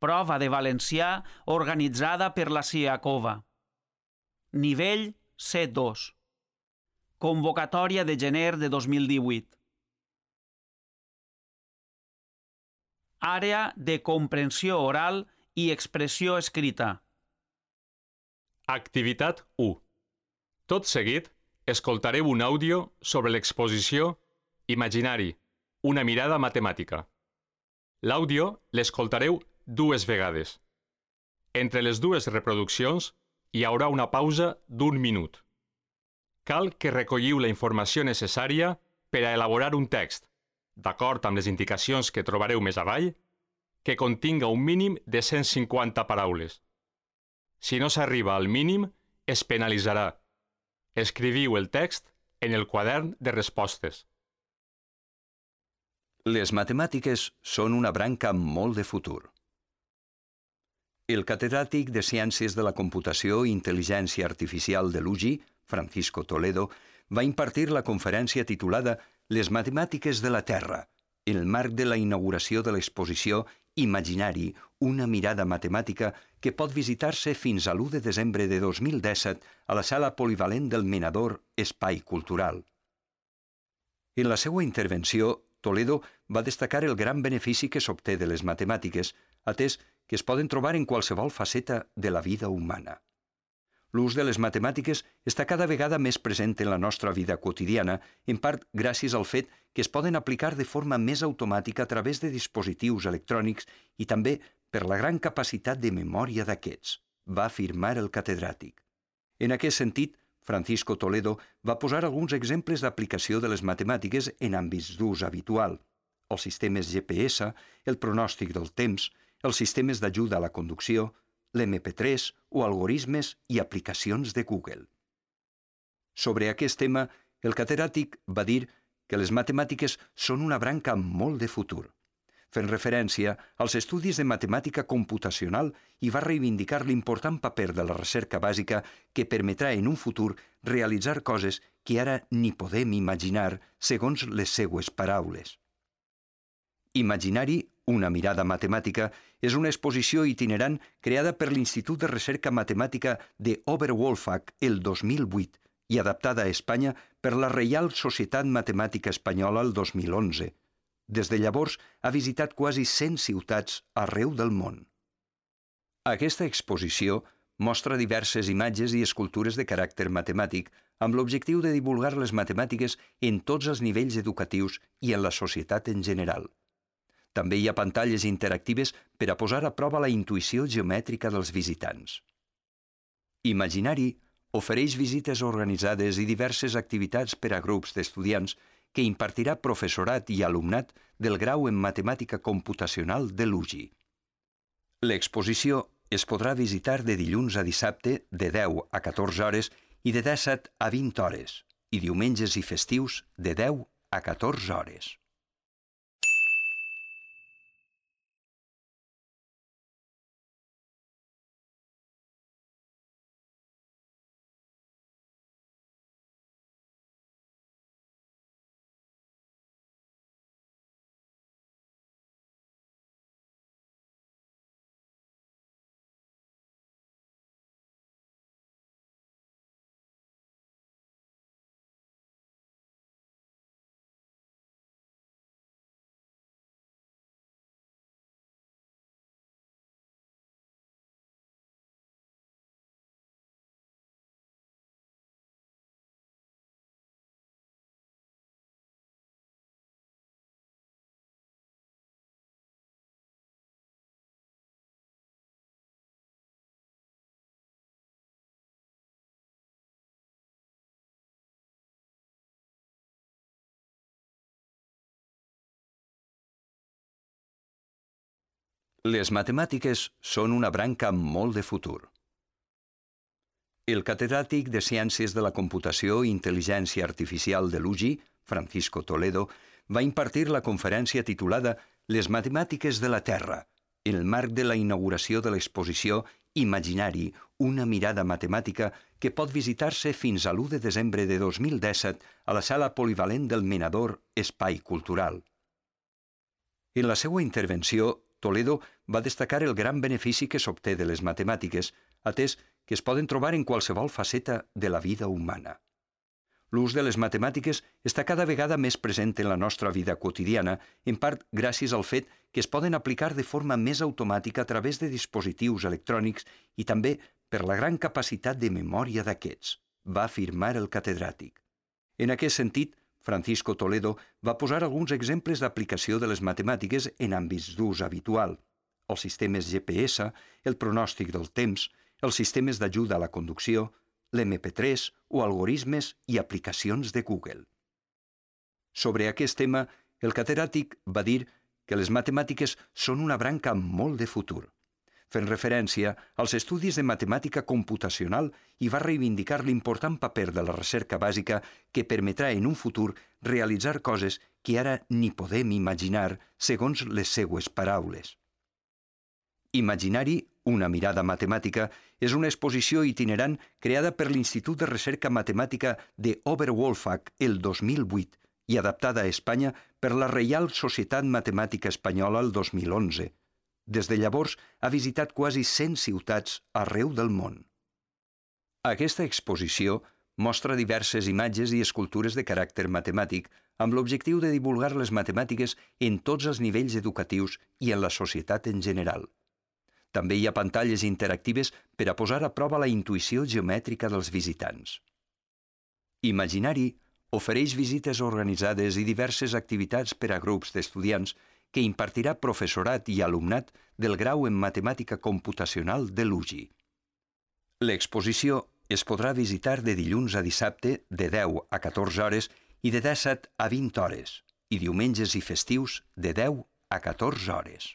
Prova de valencià organitzada per la CIACOVA. Nivell C2. Convocatòria de gener de 2018. Àrea de comprensió oral i expressió escrita. Activitat 1. Tot seguit, escoltareu un àudio sobre l'exposició Imaginari, una mirada matemàtica. L'àudio l'escoltareu 2 vegades. Entre les 2 reproduccions hi haurà una pausa d'1 minut. Cal que recolliu la informació necessària per a elaborar un text, d'acord amb les indicacions que trobareu més avall, que continga un mínim de 150 paraules. Si no s'arriba al mínim, es penalitzarà. Escriviu el text en el quadern de respostes. Les matemàtiques són una branca amb molt de futur. El catedràtic de Ciències de la Computació i Intel·ligència Artificial de l'UGI, Francisco Toledo, va impartir la conferència titulada Les matemàtiques de la Terra, en el marc de la inauguració de l'exposició Imaginari, una mirada matemàtica que pot visitar-se fins a l'1 de desembre de 2017 a la sala polivalent del Menador Espai Cultural. En la seva intervenció, Toledo va destacar el gran benefici que s'obté de les matemàtiques, atès que es poden trobar en qualsevol faceta de la vida humana. L'ús de les matemàtiques està cada vegada més present en la nostra vida quotidiana, en part gràcies al fet que es poden aplicar de forma més automàtica a través de dispositius electrònics i també per la gran capacitat de memòria d'aquests, va afirmar el catedràtic. En aquest sentit, Francisco Toledo va posar alguns exemples d'aplicació de les matemàtiques en àmbits d'ús habitual: els sistemes GPS, el pronòstic del temps, els sistemes d'ajuda a la conducció, l'MP3 o algorismes i aplicacions de Google. Sobre aquest tema, el catedràtic va dir que les matemàtiques són una branca amb molt de futur, fent referència als estudis de matemàtica computacional i va reivindicar l'important paper de la recerca bàsica que permetrà en un futur realitzar coses que ara ni podem imaginar, segons les seues paraules. Imaginari, una mirada matemàtica, és una exposició itinerant creada per l'Institut de Recerca Matemàtica de Oberwolfach el 2008 i adaptada a Espanya per la Reial Societat Matemàtica Espanyola el 2011. Des de llavors ha visitat quasi 100 ciutats arreu del món. Aquesta exposició mostra diverses imatges i escultures de caràcter matemàtic amb l'objectiu de divulgar les matemàtiques en tots els nivells educatius i en la societat en general. També hi ha pantalles interactives per a posar a prova la intuïció geomètrica dels visitants. Imaginari ofereix visites organitzades i diverses activitats per a grups d'estudiants que impartirà professorat i alumnat del grau en Matemàtica Computacional de l'UGI. L'exposició es podrà visitar de dilluns a dissabte de 10 a 14 hores i de 17 a 20 hores, i diumenges i festius de 10 a 14 hores. Les matemàtiques són una branca amb molt de futur. El catedràtic de Ciències de la Computació i Intel·ligència Artificial de l'UGI, Francisco Toledo, va impartir la conferència titulada Les matemàtiques de la Terra, en el marc de la inauguració de l'exposició Imaginari, una mirada matemàtica que pot visitar-se fins a l'1 de desembre de 2017 a la sala polivalent del Menador Espai Cultural. En la seva intervenció, Toledo va destacar el gran benefici que s'obté de les matemàtiques, atès que es poden trobar en qualsevol faceta de la vida humana. L'ús de les matemàtiques està cada vegada més present en la nostra vida quotidiana, en part gràcies al fet que es poden aplicar de forma més automàtica a través de dispositius electrònics i també per la gran capacitat de memòria d'aquests, va afirmar el catedràtic. En aquest sentit, Francisco Toledo va posar alguns exemples d'aplicació de les matemàtiques en àmbits d'ús habitual, els sistemes GPS, el pronòstic del temps, els sistemes d'ajuda a la conducció, l'MP3 o algorismes i aplicacions de Google. Sobre aquest tema, el catedràtic va dir que les matemàtiques són una branca amb molt de futur, fent referència als estudis de matemàtica computacional i va reivindicar l'important paper de la recerca bàsica que permetrà en un futur realitzar coses que ara ni podem imaginar, segons les seues paraules. Imaginari, una mirada matemàtica, és una exposició itinerant creada per l'Institut de Recerca Matemàtica de Oberwolfach el 2008 i adaptada a Espanya per la Reial Societat Matemàtica Espanyola el 2011. Des de llavors ha visitat quasi 100 ciutats arreu del món. Aquesta exposició mostra diverses imatges i escultures de caràcter matemàtic amb l'objectiu de divulgar les matemàtiques en tots els nivells educatius i en la societat en general. També hi ha pantalles interactives per a posar a prova la intuïció geomètrica dels visitants. Imaginari ofereix visites organitzades i diverses activitats per a grups d'estudiants que impartirà professorat i alumnat del grau en matemàtica computacional de l'UGI. L'exposició es podrà visitar de dilluns a dissabte de 10 a 14 hores i de 17 a 20 hores, i diumenges i festius de 10 a 14 hores.